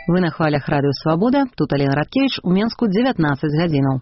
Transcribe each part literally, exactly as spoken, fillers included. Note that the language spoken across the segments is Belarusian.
Вы на хвалях Радыё Свабода. Тут Алена Радкевич. У Менску дзевятнаццаць гадзінаў.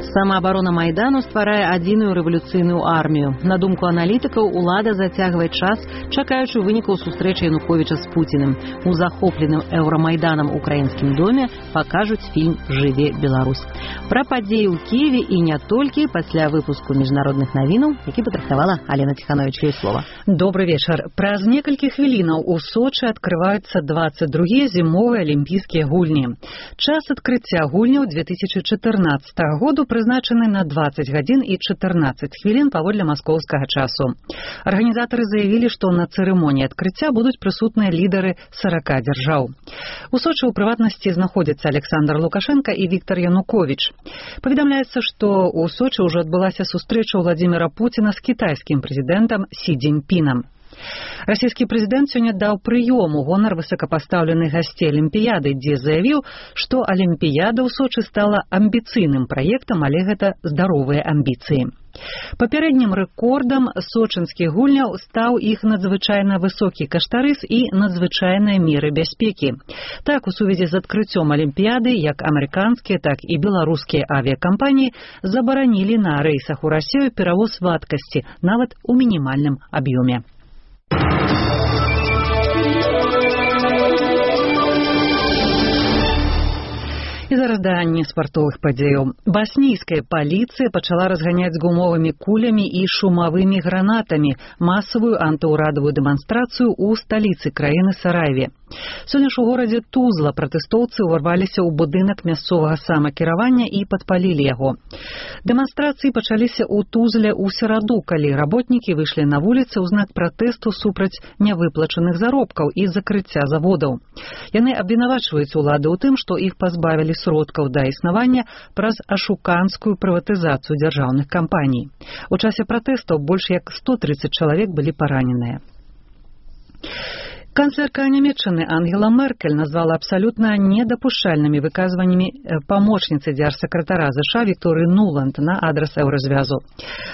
Самаабарона Майдану стварае адзіную рэвалюцыйную армію. На думку аналітыкаў, улада зацягвае час, чакаючы вынікаў сустрэчы Януковіча з Пуціным. У захопленым Еўрамайданам украінскім доме пакажуць фільм «Жыве Беларусь». Пра падзеі ў Кіеве і не толькі пасля выпуску міжнародных навінаў, які падрыхтавала Алена Ціханович. Ёй слова. Добрый вечар. Праз некалькі хвілінаў у Сочы адкрываюцца дваццаць другія зімовыя алімпійскія гульні. Час адкрыцця гульняў две тысячи чатырнаццатага году прызначаны на дваццаць гадзін і чатырнаццаць хвілін паводле маскоўскага часу. Арганізатары заявілі, што на цырымоніі адкрыцця будуць прысутныя лідары сарака дзяржаў. У Сочы ў прыватнасці знаходзяцца Александр Лукашенко і Віктор Януковіч. Паведамляецца, што ў Сочы ўжо адбылася сустрэча Владзіміра Пуціна з кітайскім прэзідэнтам Сі Цзіньпінам. Расійскі прэзідэнт сёння даў прыём у гонар высокапастаўленых гасцей Алімпіяды, дзе заявіў, што Алімпіяда ў Сочы стала амбіцыйным праектам, але гэта здаровыя амбіцыі. Папярэднім рэкордам сочынскіх гульняў стаў іх надзвычайна высокі каштарыс і надзвычайныя меры бяспекі. Так, у сувязі з адкрыццём Алімпіяды, як амерыканскія, так і беларускія авіякампаніі забаранілі на рэйсах у Расію перавоз вадкасці, нават у мінімальным аб'ёме. І зараз да неспартовых падзеяў. Баснійская паліцыя пачала разганяць гумовымі кулямі і шумавымі гранатамі масавую антыўрадавую дэманстрацыю ў сталіцы краіны Сараеве. Сёння ж у горадзе Тузла пратэстоўцы ўварваліся ў будынак мясцовага самакіравання і падпалілі яго. Дэманстрацыі пачаліся ў Тузле ў сераду, калі работнікі выйшлі на вуліцы ў знак пратэсту супраць нявыплачаных заробкаў і закрыцця заводаў. Яны абвінавачваюць улады ў тым, што іх пазбавілі сродкаў да існавання праз ашуканскую прыватызацыю дзяржаўных кампаній. У часе пратэстаў больш як сто трыццаць чалавек былі параненыя. Канцлерка Нямецчыны Ангела Меркель назвала абсалютна недапушчальнымі выказваннямі памочніцы дзяржсакратара ЗША Вікторыі Нуланд на адрас еўразвязу.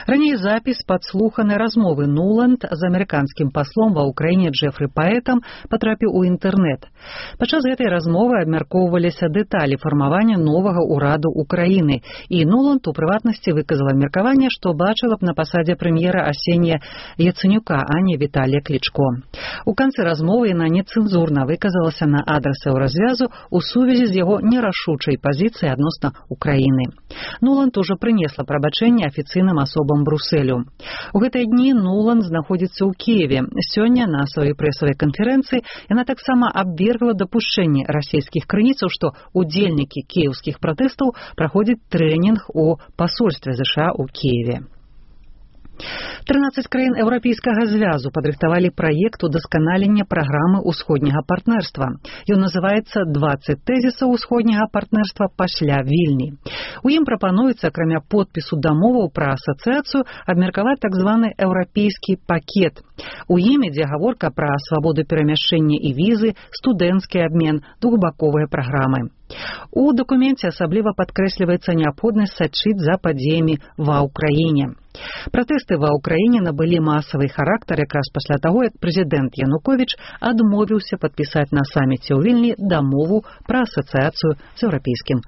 Раней запіс падслуханай размовы Нуланд з амерыканскім паслом ва ўкраіне Джефры Паэтам патрапіў у інтэрнэт. Падчас гэтай размовы абмяркоўваліся дэталі фармавання новага ўраду Украіны, і Нуланд у прыватнасці выказала меркаванне, што бачыла б на пасадзе прэм'ера Арсенія Яцэнюка, а не Віталія Клічко. У канцы размовы яна нецэнзурна выказалася на адрас еўразвязу ў сувязі з яго нерашучай пазіцыяй адносна Украіны. Нуланд ужо прынесла прабачэнне афіцыйным асобам Брусэлю. У гэтыя дні Нуланд знаходзіцца ў Кіеве. Сёння на сваёй прэсавай канферэнцыі яна таксама абвергла дапушчэнне расійскіх крыніцаў, што удзельнікі кіеўскіх пратэстаў праходзяць трэнінг у пасольстве ЗША ў Кіеве. трынаццаць краін еўрапейскага звязу падрыхтавалі праект удасканалення праграмы ўсходняга партнерства. Ён называецца «дваццаць тэзісаў усходняга партнерства пасля Вільні». У ім прапануецца, акрамя подпісу дамоваў пра асацыяцыю, абмеркаваць так званы еўрапейскі пакет. У ім ідзе гаворка пра свабоду перамяшчэння і візы, студэнцкі абмен, двухбаковыя праграмы. У дакуменце асабліва падкрэсліваецца неабходнасць сачыць за падзеямі ва ўкраіне. Пратэсты ва ўкраіне набылі масавы характар якраз пасля таго, як прэзідэнт Януковіч адмовіўся падпісаць на саміце ў Вільні дамову пра асацыяцыю з Еўрапейскім